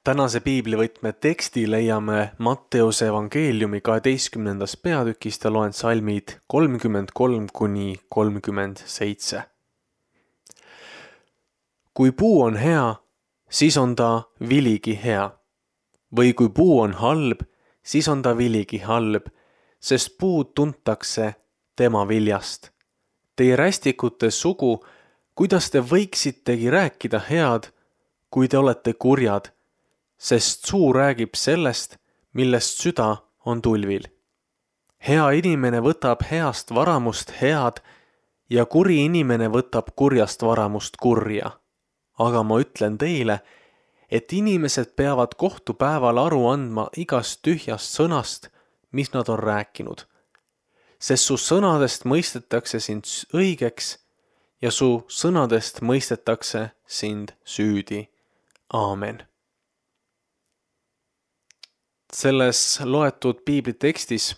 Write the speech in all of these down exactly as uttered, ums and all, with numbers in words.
Tänase piiblivõtme teksti leiame Matteuse evangeeliumi kaheteistkümnendas peatükist ja loen salmid kolmkümmend kolm kuni kolmkümmend seitse. Kui puu on hea, siis on ta viligi hea. Või kui puu on halb, siis on ta viligi halb, sest puud tuntakse tema viljast. Teie rästikute sugu, kuidas te võiksitegi rääkida head, kui te olete kurjad, sest suu räägib sellest, millest süda on tulvil. Hea inimene võtab heast varamust head ja kuri inimene võtab kurjast varamust kurja. Aga ma ütlen teile, et inimesed peavad kohtupäeval aru andma igast tühjast sõnast, mis nad on rääkinud. Sest su sõnadest mõistetakse sind õigeks ja su sõnadest mõistetakse sind süüdi. Aamen. Selles loetud piiblitekstis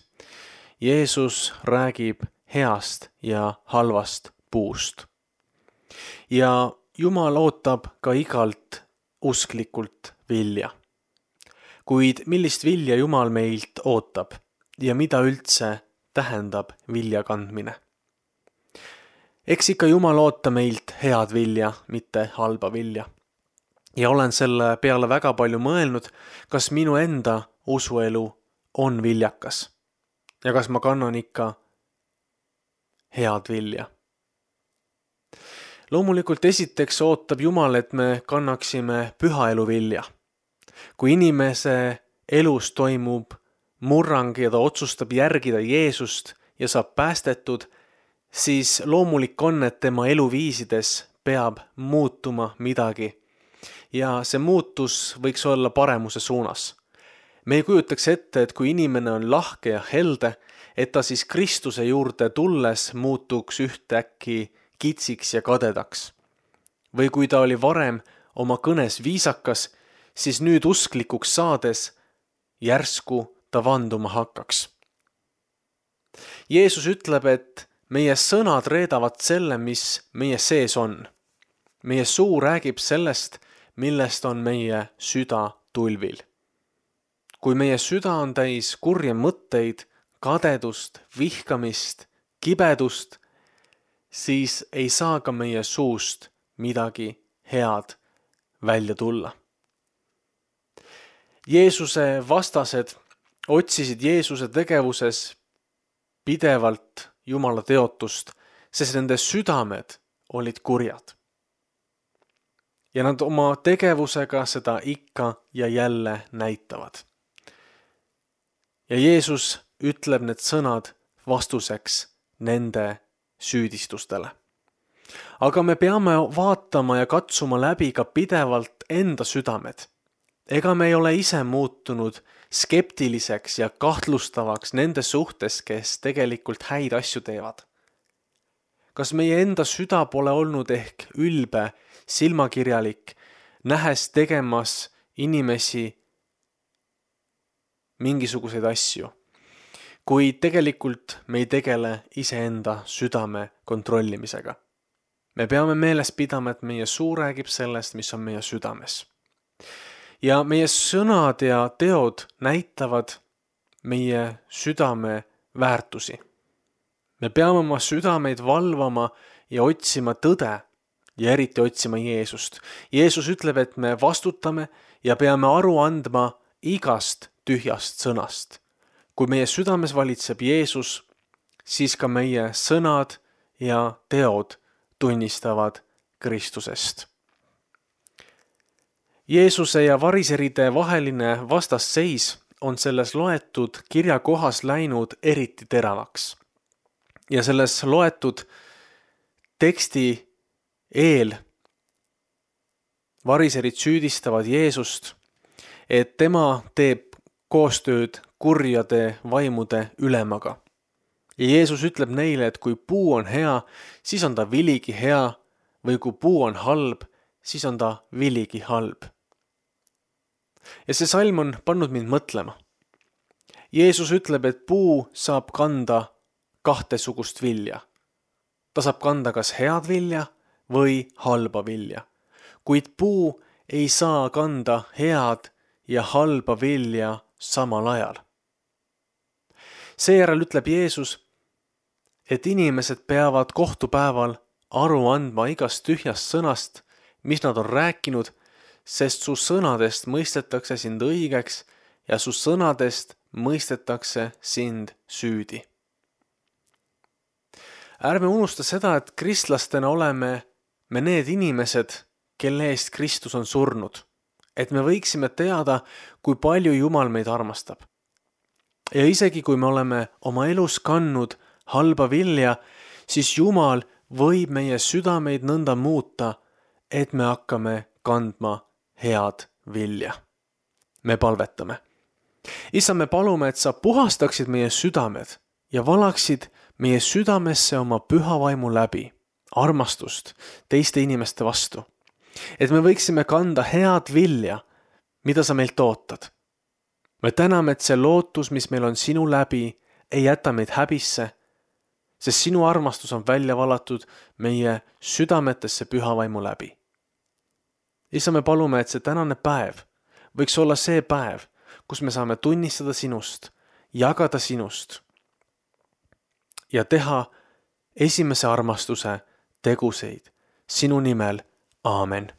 Jeesus räägib heast ja halvast puust. Ja Jumal ootab ka igalt usklikult vilja. Kuid millist vilja Jumal meilt ootab ja mida üldse tähendab vilja kandmine? Eks ikka Jumal oota meilt head vilja, mitte halba vilja. Ja olen selle peale väga palju mõelnud, kas minu enda usuelu on viljakas ja kas ma kannan ikka head vilja. Loomulikult esiteks ootab Jumal, et me kannaksime püha elu vilja. Kui inimese elus toimub murrang ja ta otsustab järgida Jeesust ja saab päästetud, siis loomulik on, et tema eluviisides peab muutuma midagi. Ja see muutus võiks olla paremuse suunas. Me ei kujutaks ette, et kui inimene on lahke ja helde, et ta siis Kristuse juurde tulles muutuks ühtäkki kitsiks ja kadedaks. Või kui ta oli varem oma kõnes viisakas, siis nüüd usklikuks saades järsku ta vanduma hakkaks. Jeesus ütleb, et meie sõnad reedavad selle, mis meie sees on. Meie suu räägib sellest, millest on meie süda tulvil. Kui meie süda on täis kurje mõtteid, kadedust, vihkamist, kibedust, siis ei saa ka meie suust midagi head välja tulla. Jeesuse vastased otsisid Jeesuse tegevuses pidevalt Jumala teotust, sest nende südamed olid kurjad. Ja nad oma tegevusega seda ikka ja jälle näitavad. Ja Jeesus ütleb need sõnad vastuseks nende süüdistustele. Aga me peame vaatama ja katsuma läbi ka pidevalt enda südamed. Ega me ei ole ise muutunud skeptiliseks ja kahtlustavaks nende suhtes, kes tegelikult häid asju teevad. Kas meie enda süda pole olnud ehk ülbe, silmakirjalik, nähes tegemas inimesi mingisuguseid asju, kui tegelikult me ei tegele iseenda südame kontrollimisega. Me peame meeles pidama, et meie suu räägib sellest, mis on meie südames. Ja meie sõnad ja teod näitavad meie südame väärtusi. Me peame oma südameid valvama ja otsima tõde ja eriti otsima Jeesust. Jeesus ütleb, et me vastutame ja peame aru andma igast tühjast sõnast. Kui meie südames valitseb Jeesus, siis ka meie sõnad ja teod tunnistavad Kristusest. Jeesuse ja variseride vaheline vastasseis on selles loetud kirja kohas läinud eriti teravaks. Ja selles loetud teksti eel variserid süüdistavad Jeesust, et tema teeb koostööd kurjade vaimude ülemaga. Ja Jeesus ütleb neile, et kui puu on hea, siis on ta viligi hea, või kui puu on halb, siis on ta viligi halb. Ja see salm on pannud mind mõtlema. Jeesus ütleb, et puu saab kanda kahtesugust vilja. Ta saab kanda kas head vilja või halba vilja. Kuid puu ei saa kanda head ja halba vilja samal ajal. Seejärel ütleb Jeesus, et inimesed peavad kohtupäeval aru andma igast tühjast sõnast, mis nad on rääkinud, sest su sõnadest mõistetakse sind õigeks ja su sõnadest mõistetakse sind süüdi. Ärme unusta seda, et kristlastena oleme me need inimesed, kelle eest Kristus on surnud, et me võiksime teada, kui palju Jumal meid armastab. Ja isegi kui me oleme oma elus kandnud halba vilja, siis Jumal võib meie südameid nõnda muuta, et me hakkame kandma head vilja. Me palvetame. Issa, me palume, et sa puhastaksid meie südamed ja valaksid meie südamesse oma püha vaimu läbi, armastust teiste inimeste vastu. Et me võiksime kanda head vilja, mida sa meilt ootad. Me täname, et see lootus, mis meil on sinu läbi, ei jäta meid häbisse, sest sinu armastus on välja valatud meie südametesse püha vaimu läbi. Issa, me palume, et see tänane päev võiks olla see päev, kus me saame tunnistada sinust, jagada sinust ja teha esimese armastuse teguseid sinu nimel. Aamen.